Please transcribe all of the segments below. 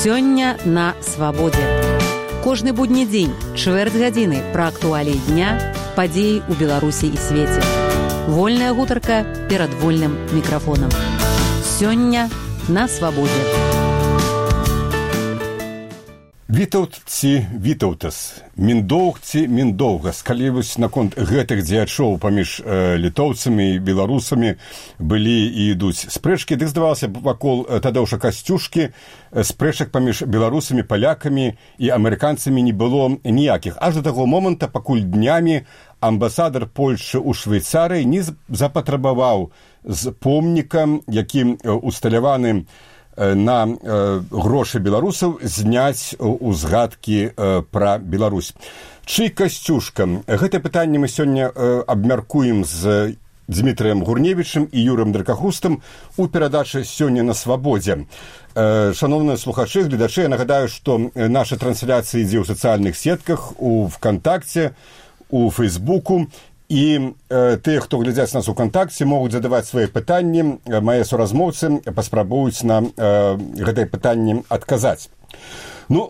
Сёння на свабодзе. Кожны будні дзень, чвэрць гадзіны пра актуаліі дня, падзеі ў Беларусі і свеце. Вольная гутарка перад вольным мікрафонам. Сёння на свабодзе. Вітаўці, вітаўтас, міндоўгці, міндоўгас. Калі вось наконт гэтых дзеячоў паміж літоўцамі і беларусамі былі і ідуць спрэчкі, дык здавалася вакол Тадеуша Касцюшкі спрэчак паміж беларусамі, палякамі і амерыканцамі не было ніякіх. Аж да таго моманта, пакуль днямі амбасадар Польшчы ў Швейцарыі не запатрабаваў з помнікам, які усталяваны на грошы беларусаў, зняць узгадкі пра Беларусь. Чый Касцюшка? Гэта пытанне мы сёння абмяркуем з Дмітрыем Гурневічым і Юрым Дракахустам у перадачы «Сёння на свабодзе». Шановныя слухачы, гледачы, я нагадаю, што наша трансляцыя ідзе ў сацыяльных сетках, у ВКонтакце, у Фейсбуку. І тыя, хто глядзяць нас у кантакце, могуць задаваць свае пытанні. Мае суразмоўцы паспрабуюць нам гэтае пытанне адказаць. Ну,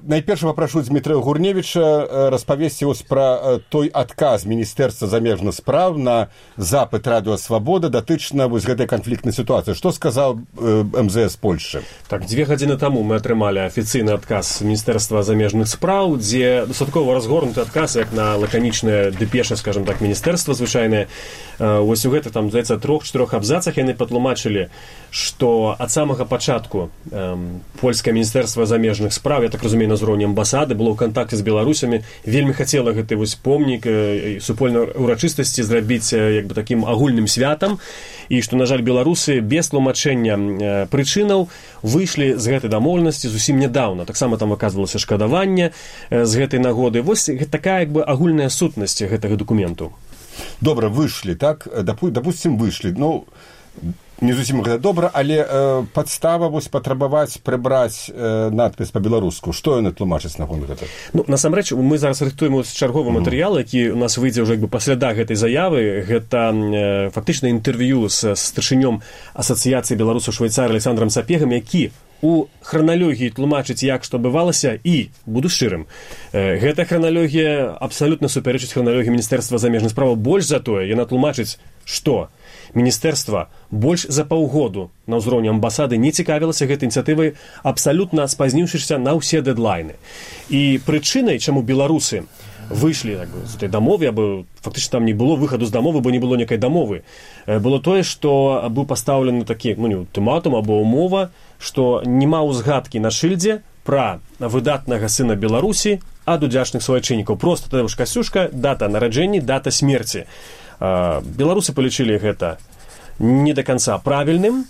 найперш папрашу Дмітрыя Гурневіча распавесці вось пра той адказ Міністэрства замежных спраў на запыт Радыё Свабода датычна вось гэтай канфліктнай сітуацыі. Што сказаў МЗС Польшчы? Так, 2 гадзіны таму мы атрымалі афіцыйны адказ Міністэрства замежных спраў, дзе дастаткова разгорнуты адказ, як на лаканічнае дэпеша, скажем так, міністэрства звычайнае. Вось у гэтых, там, здаецца, 3-4 абзацах яны патлумачылі, што ад самага пачатку польскае Міністэрства замежных спраў, я так разумею, на ўзроўні амбасады, было ў кантакце з беларусамі, вельмі хацела гэты вось помнік супольнай урачыстасці зрабіць як бы такім агульным святам, і што, на жаль, беларусы без тлумачэння прычынаў выйшлі з гэтай дамоўленасці зусім нядаўна. Таксама там аказвалася шкадаванне з гэтай нагоды. Вось такая як бы агульная сутнасць гэтага дакументу. Добра, выйшлі, так? Дапусцім, выйшлі. Ну, не зусім гэта добра, але падстава вось патрабаваць прыбраць надпіс па-беларуску. Што яны тлумачаць наконт гэта? Ну, насамрэч, мы зараз рыхтуем чарговы матэрыял, які у нас выйдзе ўжо як бы пасляда гэтай заявы. Гэта фактычна інтэрв'ю з старшынём асацыяцыі беларусаў Швейцарыі Александрам Сапегам, які у храналогіі тлумачыць, як што бывалася, і, буду шчырым, гэта храналогія абсалютна супярэчыць храналогіі Міністэрства замежных спраў. Больш за тое, яна тлумачыць, што Міністэрства больш за паўгоду на ўзроўні амбасады не цікавілася гэтай ініцыятывай, абсалютна спазніўшыся на ўсе дэдлайны. І прычынай, чаму беларусы выйшлі з этой дамовы, або фактычна там не было выхаду з дамовы, бо не было некай дамовы, было тое, што быў пастаўлены такі ультыматум або умова, што няма ўзгадкі на шыльдзе пра выдатнага сына Беларусі ад удзячных суайчыннікаў. Проста Тадеуш Касцюшка, дата нараджэння, дата смерці. Беларусы палічылі гэта не да канца правільным,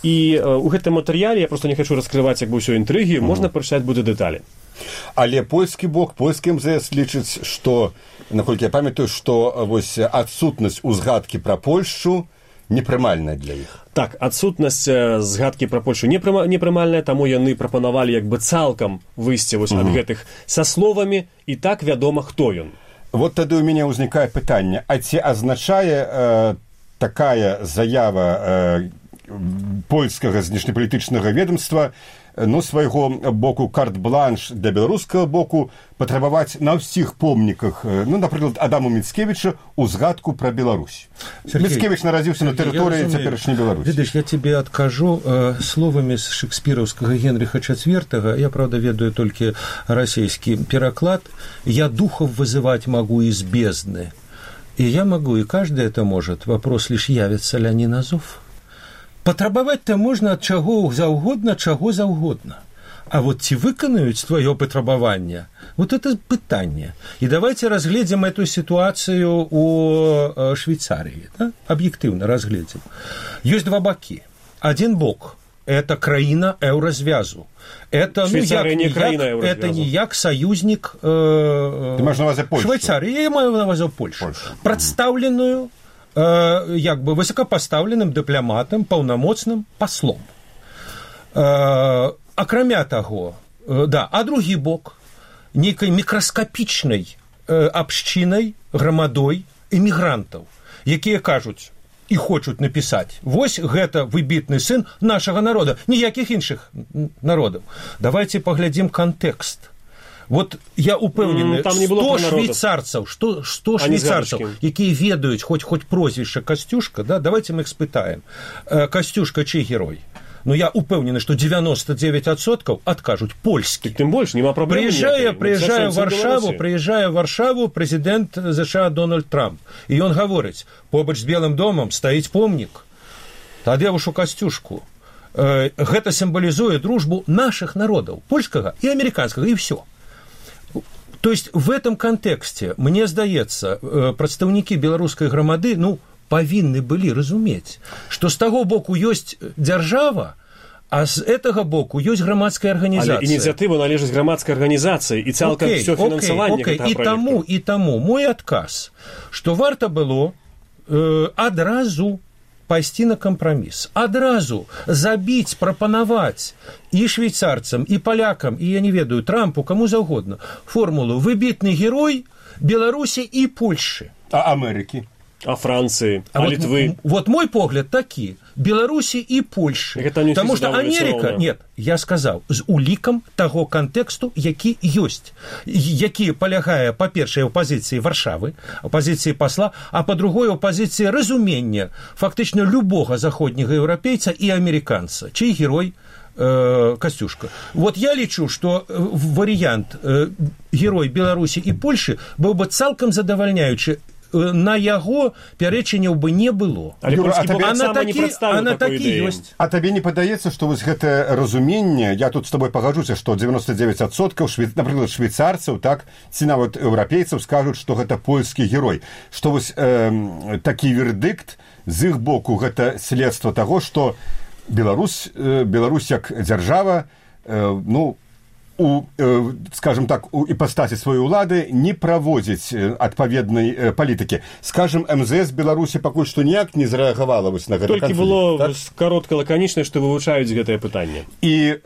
і ў гэтым матэрыяле, я проста не хачу раскрываць як бы ўсё інтрыгі, можна прачытаць будзе дэталі. Але польскі бок, польскі МЗС лічыць, што, наколькі я памятаю, што вось адсутнасць узгадкі пра Польшчу непрымальная для іх. Так, адсутнасць згадкі пра Польшу непрымальная, таму яны прапанавалі як бы цалкам выйсці вось ад гэтых са словамі, і так вядома, хто ён. Вот тады ў мяне ўзнікае пытанне, а ці азначае такая заява польскага знешнепалітычнага ведомства свайго боку карт-бланш для беларускага боку патрабаваць на ўсіх помніках, напрыклад, Адаму Міцкевічу узгадку пра Беларусь. Міцкевіч нарадзіўся на тэрыторыі цяперашняй Беларусі. Видишь, я тебе откажу словамі з шекспіровскага Генриха IV, я, правда, ведаю толькі расійскі пераклад, «Я духов вызывать могу из бездны». И я могу, и каждый это может. Вопрос лишь, явится ли они на зов. Патрабаваць-то можна ад чаго заўгодна. А вот ці выканаюць твоё патрабаванне, вот это пытанне. И давайте разглядим эту ситуацию у Швейцарии, да? Объективно разглядим. Есть 2 боки. Один бок – это краіна еўразвязу. Это, это не як союзник Швейцарии, я маю на ўвазе Польшу. Прадстаўленую як бы высокопоставленным дыпламатам, паўнамоцным паслом. Акрамя таго, а другі бок нейкай мікраскапічнай абшчынай, грамадой эмігрантаў, якія кажуць, і хочуць напісаць, вось гэта выбітны сын нашага народа, ніякіх іншых народаў. Давайте паглядзім кантэкст. Вот я упэўнены, 100 швейцарцаў, 100 швейцарцаў, якія ведаюць хоць прозвішча Касцюшка, да? Давайте мы іх спытаем. Касцюшка чый герой? Ну, я упэўнены, што 99% адкажуць польскі. Тым больш, няма праблем. Прыязджае ў Варшаву прэзідэнт США Дональд Трамп. І ён гаворыць, побач з Белым домам стаіць помнік. Тады ўжо Касцюшку. Гэта сімвалізуе дружбу нашых народаў, польскага і амерыканскага, і ўсё. То есть в этом контексте, мне здаецца, прадстаўнікі беларускай грамады, павінны былі разумець, што з таго боку ёсць дзяржава, а з гэтага боку ёсць грамадская арганізацыя. Але ініцыятыва належыць грамадскай арганізацыі і цалкам ўсё фінансаванне гэтага праекта. І таму мой адказ, што варта было адразу пайсці на кампраміс, адразу забіць, прапанаваць і швейцарцам, і палякам, і, я не ведаю, Трампу, каму заўгодна, формулу «выбітны герой Беларусі і Польшы». А Амерыкі? А Францыі, а Літвы. Вот мой погляд такі. Беларусі і Польшы. Таму што Амерыка, нет, я сказаў, з улікам таго кантэксту, які ёсць, які палягае, па-першае, у пазіцыі Варшавы, у пазіцыі пасла, а па-другое, у пазіцыі разумення фактычна любога заходняга еўрапейца і амерыканца, чый герой Касцюшка. Вот я лічу, што варыянт герой Беларусі і Польшы быў бы цалкам задавальняючы. На яго пярэчанняў бы не было. Але польскі бок сама не прадставіў такой ідэі. А табе не падаецца, што вось гэтае разуменне, я тут з тобой пагаджуся, што 99%, напрыклад, швейцарцаў, так, ці нават еўрапейцаў скажуць, што гэта польскі герой. Што вось такі вердыкт з іх боку гэта следства таго, што Беларусь як дзяржава, скажем так, у іпастасі сваёй улады не праводзіць адпаведнай палітыкі. Скажем, МЗС Беларусі пакуль што ніяк не зрэагавала вось на гэты канфлікт. Толькі было каротка лаканічна, што вывучаюць гэтае пытанне. І,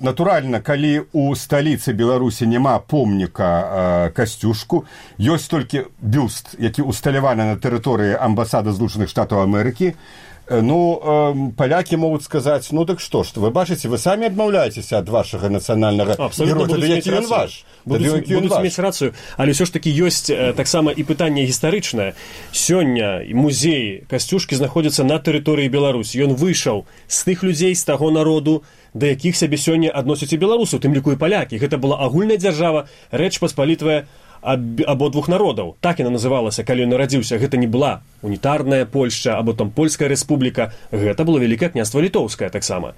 натуральна, калі у сталіцы Беларусі няма помніка Касцюшку, ёсць толькі бюст, які усталяваны на тэрыторыі амбасады Злучаных Штатаў Амерыкі, палякі могуць сказаць, так што ж, вы бачыце, вы самі адмаўляецеся ад вашага нацыянальнага героя, тады які ён ваш. Будуць мець рацыю, але ўсё ж такі ёсць таксама і пытанне гістарычнае. Сёння музей Касцюшкі знаходзіцца на тэрыторыі Беларусі. Ён выйшаў з тых людзей, з таго народу, да якіх сябе сёння адносяць і беларусу, тым ліку і палякі. Гэта была агульная дзяржава, Рэч Паспалітвая абодвух народаў. Так яна называлася, калі ён нарадзіўся. Гэта не была унітарная Польшча, або там Польская рэспубліка. Гэта было Вялікае княства Літоўскае таксама.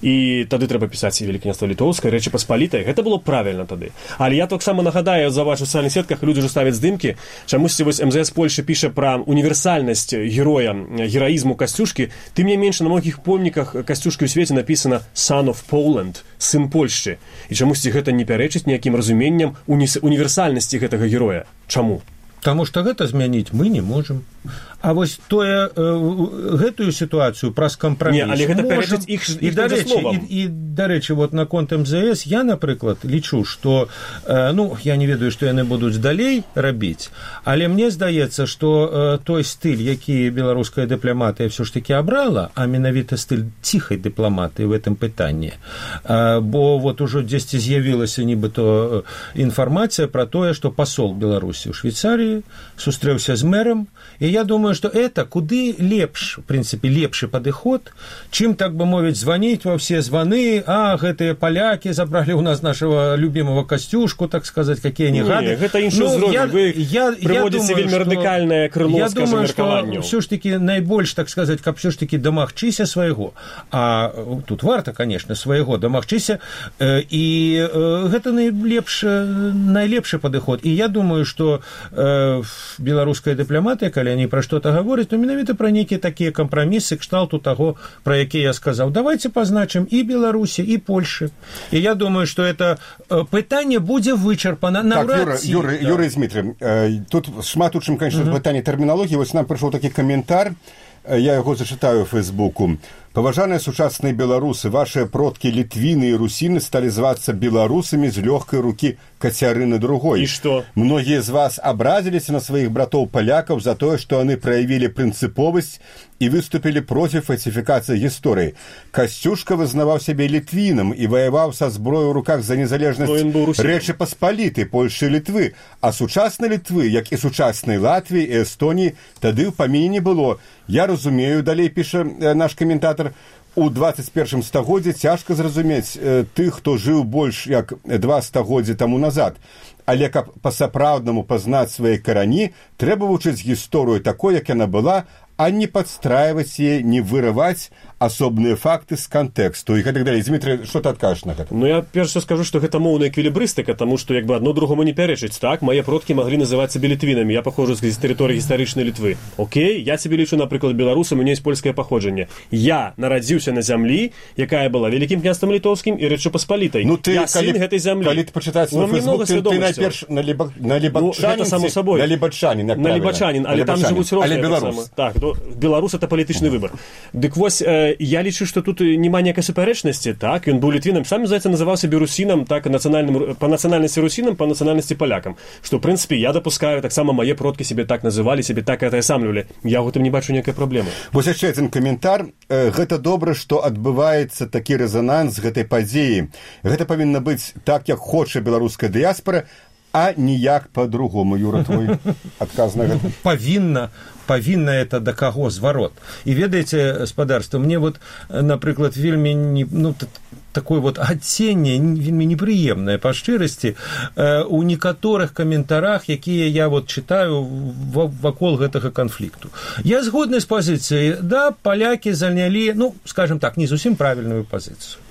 І тады трэба пісаць і Вялікае княства Літоўскае, Рэчы Паспалітай. Гэта было правільна тады. Але я таксама нагадаю, за вашу сацыяльных сетках людзі ўжо ставяць здымкі. Чамусьці вось МЗС Польшчы піша пра універсальнасць героя, гераізму Касцюшкі. Тым не менш, на многіх помніках Касцюшкі ў свеце напісана «Son of Poland», сын Польшчы. І чамусьці гэта не пярэчыць ніякім разуменням універсальнасці гэтага героя. Чаму? Таму што гэта змяніць мы не можам. А вось гэтую сітуацыю праз кампраміс але гэта пярэчыць іх словам. І, дарэчы, вот наконт МЗС я, напрыклад, лічу, што я не ведаю, што яны будуць далей рабіць, але мне здаецца, што той стыль, які беларуская дыпламатыя ўсё ж такі абрала, а менавіта стыль ціхай дыпламатыі в гэтым пытанні, бо вот ужо дзесьці з'явілася нібыто інфармацыя пра тое, што пасол Беларусі ў Швейцарыі сустрэўся з мэрам, і я думаю, что это куды лепш, в принципе, лепшы падыход, чым, так бы мовіць, званіць во все званы, гэтыя палякі забралі ў нас нашего любимого Касцюшку, так сказать, какие они гады. Гэта іншы ўзровень, вы прыводзіце вельмі радыкальнае крыло, скажем, меркаванняў. Я думаю, что ўсё ж таки найбольш, так сказать, каб ўсё ж таки дамагчыся свайго, а тут варта, конечно, свайго дамагчыся, і гэта найлепшы падыход. І я думаю, что беларуская дыпламатыя, калі они пра што-то гавораць, то менавіта пра нейкія такія кампрамісы кшталту таго, пра які я сказаў. Давайте пазначым і Беларусі, і Польшы. І я думаю, што это пытанне будзе вычарпана. Так, Юрий Дмитрий, тут шмат у чым, конечно, пытанне тэрміналогіі. Вось нам прыйшоў такі каментар, я яго зачытаю ў Фейсбуку. Паважаныя сучасныя беларусы, вашыя продкі літвіны і русіны сталі звацца беларусамі з лёгкай рукі Кацярыны II. І што? Многія з вас абразіліся на сваіх братоў-палякаў за тое, што яны праявілі прынцыповасць і выступілі проці фальсіфікацыі гісторыі. Касцюшка вызнаваў сябе літвінам і ваяваў са зброёй у руках за незалежнасць Рэчы Паспалітай, Польшы і Літвы, а сучаснай Літвы, як і сучаснай Латвіі і Эстоніі, тады ў паміне не было. Я разумею, далей піша наш каментатар, у 21 стагоддзі цяжка зразумець тых, хто жыў больш як 2 стагоддзі таму назад. Але каб па-сапраўднаму пазнаць свае карані, трэба вучыць гісторыю такой, як яна была, а не падстрайваць яе, не вырываць асобныя факты з кантэксту і гэтак далей. Дмітрый, што ты адкажаш на гэта? Ну, я перш скажу, што гэта моўная эквілібрыстыка, таму што як бы адно другому не пярэчыць. Так, мае продкі маглі называць сябе літвінамі. Я паходжу з тэрыторыі гістарычнай Літвы. Окей, я сябе лічу, напрыклад, беларусам, у мяне ёсць польскае паходжанне. Я нарадзіўся на зямлі, якая была вялікім княствам літоўскім і Рэчы Паспалітай. Ну, ты, я сын гэтай зямлі. Калі ты пачытаць свой фэйсбук, ты найперш на лібачанін, але там жывуць розныя. Так, беларус это палітычны выбар. Дык вось, я лічу, што тут няма ніякай супярэчнасці, так, ён быў літвінам, сам, здаецца, называў сябе русінам, так, па нацыянальнасці русінам, па нацыянальнасці палякам. Што, ў прынцыпе, я дапускаю, таксама мае продкі сябе так называлі, сябе так атаясамлівалі. Я ў гэтым не бачу ніякай праблемы. Вось яшчэ адзін каментар. Гэта добра, што адбываецца такі рэзананс гэтай падзеі. Гэта павінна быць так, як хоча беларуская дыяспара, а ніяк по-другому. Юра, твой адказ на гэта? Павінна это да каго зварот. І ведаеце, спадарства, мне вот, напрыклад, вельмі такое вот адценне вельмі непрыемнае па шчырасці у некаторых каментарах, якія я вот читаю вакол гэтага канфлікту. Я згодны з пазіцыяй, да, палякі занялі, скажем так, не зусім правільную пазіцыю.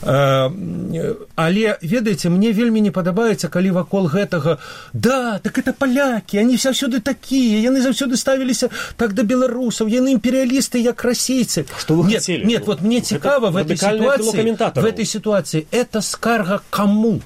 Але, ведаеце, мне вельмі не падабаецца, калі вакол гэтага, да, так это палякі, они заўсёды такія, яны заўсёды ставіліся так да беларусаў, яны імперыялісты, як расейцы. Што вы хацелі? Нет, вот мне цікава в этой ситуации, это скарга кому?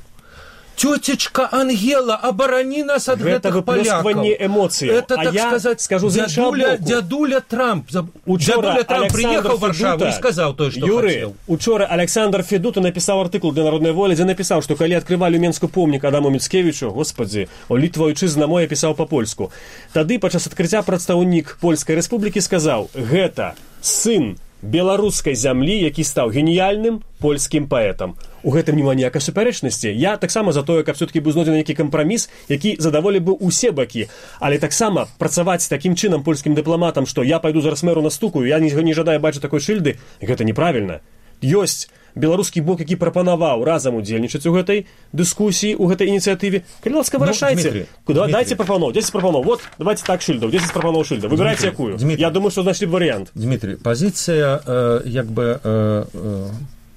Тетечка Ангела, оборони нас от гэтых поляков. Это, так сказать, скажу, дядуля Трамп. Дядуля Трамп приехал в Варшаву и сказал то, что хотел. Учора Александр Федута написал артыкул для «Народной воли», где написал, что когда открывали Менску помнік Адаму Міцкевічу, господи, о Літва ойчызна моя, писал по-польску. Тады падчас адкрыцця прадстаўнік Польскай Рэспублікі сказаў: гэта сын беларускай зямлі, які стаў геніяльным польскім паэтам. У гэтым няма ніякай супярэчнасці. Я таксама за тое, каб все-таки быў знойдзены нейкі кампраміс, які задаволі бы ўсе бакі. Але таксама працаваць такім чынам польскім дыпламатам, што я пайду зараз мэру настукаю, я не жадаю бачыць такой шыльды, гэта неправільна. Ёсць беларускі бок, які прапанаваў разам удзельнічаць у гэтай дыскусіі, у гэтай ініцыятыве. Калі ласка, вырашайце. Дайце прапаноў, 10 прапаноў. Вот, давайте так шыльдаў, 10 прапаноў шыльдаў. Выбірайце якую. Я думаю, што знайшлі б варыянт. Дмитрий, пазіцыя як бы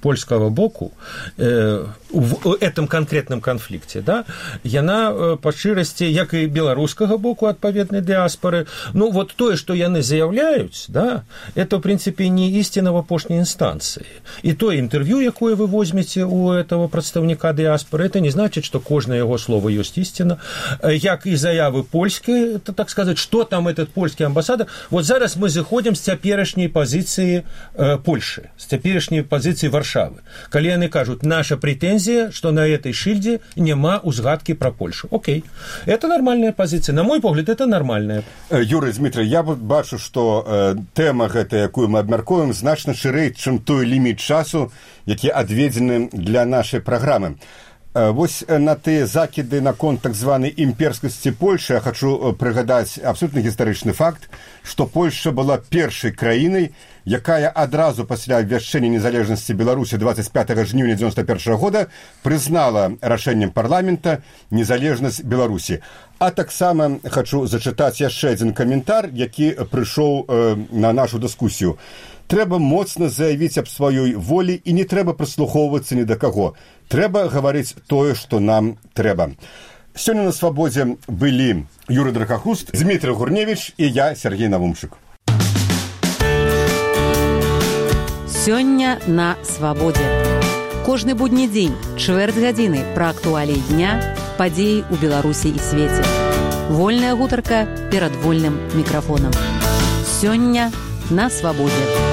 польского боку в этом конкретном конфликте, да, яна па шчырасці, як і беларускага боку адпаведнай дыаспоры, вот тое, што яны заяўляюць, да, это, в принципе, не истина в апошняй инстанции. И то интервью, якое вы возьмете у этого представника диаспоры, это не значит, что каждое его слово есть истина. Як и заявы польские, это, так сказать, что там этот польский амбассадор. Вот зараз мы заходим с цяперашняй позиции Польши, с цяперашняй позиции Варшавы. Калі яны кажут, наша претензия, что на этой шильде нема узгадки про Польшу. Окей. Это нормальная позиция. На мой погляд, это нормальная. Юрий, Дмитрий, я бачу, что тема гэта, якую мы абмяркуем, значна шырэй, чым той ліміт часу, які адведзены для нашай праграмы. Вось на тыя закіды наконт так званай імперскасці Польшы я хочу прыгадаць абсолютна гістарычны факт, што Польша была першай краінай, якая адразу пасля абвяшчэння незалежнасці Беларусі 25 жніўня 91 года прызнала рашэннем парламента незалежнасць Беларусі. А таксама хочу зачытаць яшчэ адзін каментар, які прыйшоў на нашу дыскусію. Трэба моцна заявіць аб сваёй волі і не трэба прыслухоўвацца ні да каго. Трэба гаварыць тое, што нам трэба. Сёння на свабодзе былі Юрый Дракахуст, Дмитрий Гурневич і я, Сергей Навумчык. Сёння на свабодзе. Кожны будні дзень, чвэрць гадзіны пра актуаліі дня, падзеі ў Беларусі і свеце. Вольная гутарка перад вольным мікрафонам. Сёння на свабодзе.